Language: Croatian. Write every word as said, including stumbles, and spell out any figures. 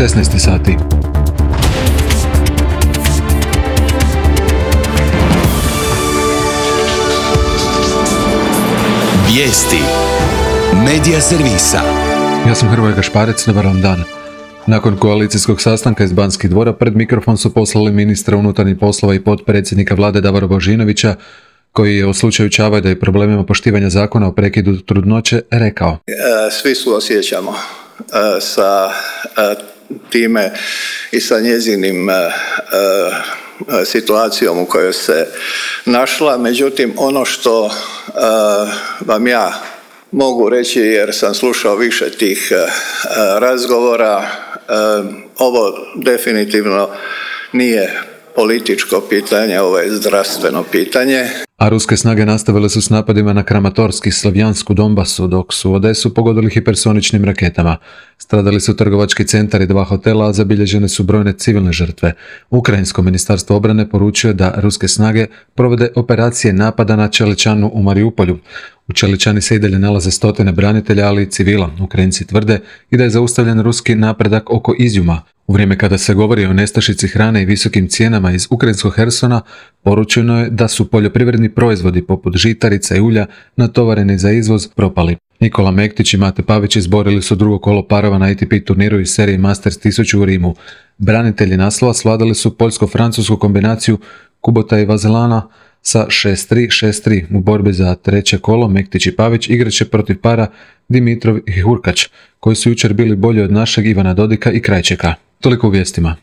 šesnaest sati. Vijesti Medija servisa. Ja sam Hrvoje Gašparec, dobar vam dan. Nakon koalicijskog sastanka iz Banskih dvora pred mikrofon su poslali ministra unutarnjih poslova i potpredsjednika vlade Davora Božinovića, koji je o slučaju Čavajda i problemima poštivanja zakona o prekidu trudnoće rekao: Svi suosjećamo sa time i sa njezinim situacijom u kojoj se našla. Međutim, ono što vam ja mogu reći, jer sam slušao više tih razgovora, ovo definitivno nije političko pitanje, ovo je zdravstveno pitanje. A ruske snage nastavile su s napadima na Kramatorsk i Slavjansku Donbasu, dok su Odesu pogodili hipersoničnim raketama. Stradali su trgovački centar i dva hotela, a zabilježene su brojne civilne žrtve. Ukrajinsko ministarstvo obrane poručuje da ruske snage provode operacije napada na Čeličanu u Mariupolju. U Čeličani se i dalje nalaze stotine branitelja, ali i civila. Ukrajinci tvrde i da je zaustavljen ruski napredak oko Izjuma. U vrijeme kada se govori o nestašici hrane i visokim cijenama iz ukrajinskog Hersona, poručeno je da su poljoprivredni proizvodi poput žitarica i ulja natovareni za izvoz propali. Nikola Mektić i Mate Pavić izborili su drugo kolo parova na A T P turniru iz serije Masters tisuću u Rimu. Branitelji naslova svladali su poljsko-francusku kombinaciju Kubota i Vazelana sa šest tri šest tri. U borbi za treće kolo Mektić i Pavić igraće protiv para Dimitrov i Hurkač, koji su jučer bili bolji od našeg Ivana Dodika i Krajčeka. Toliko u vijestima.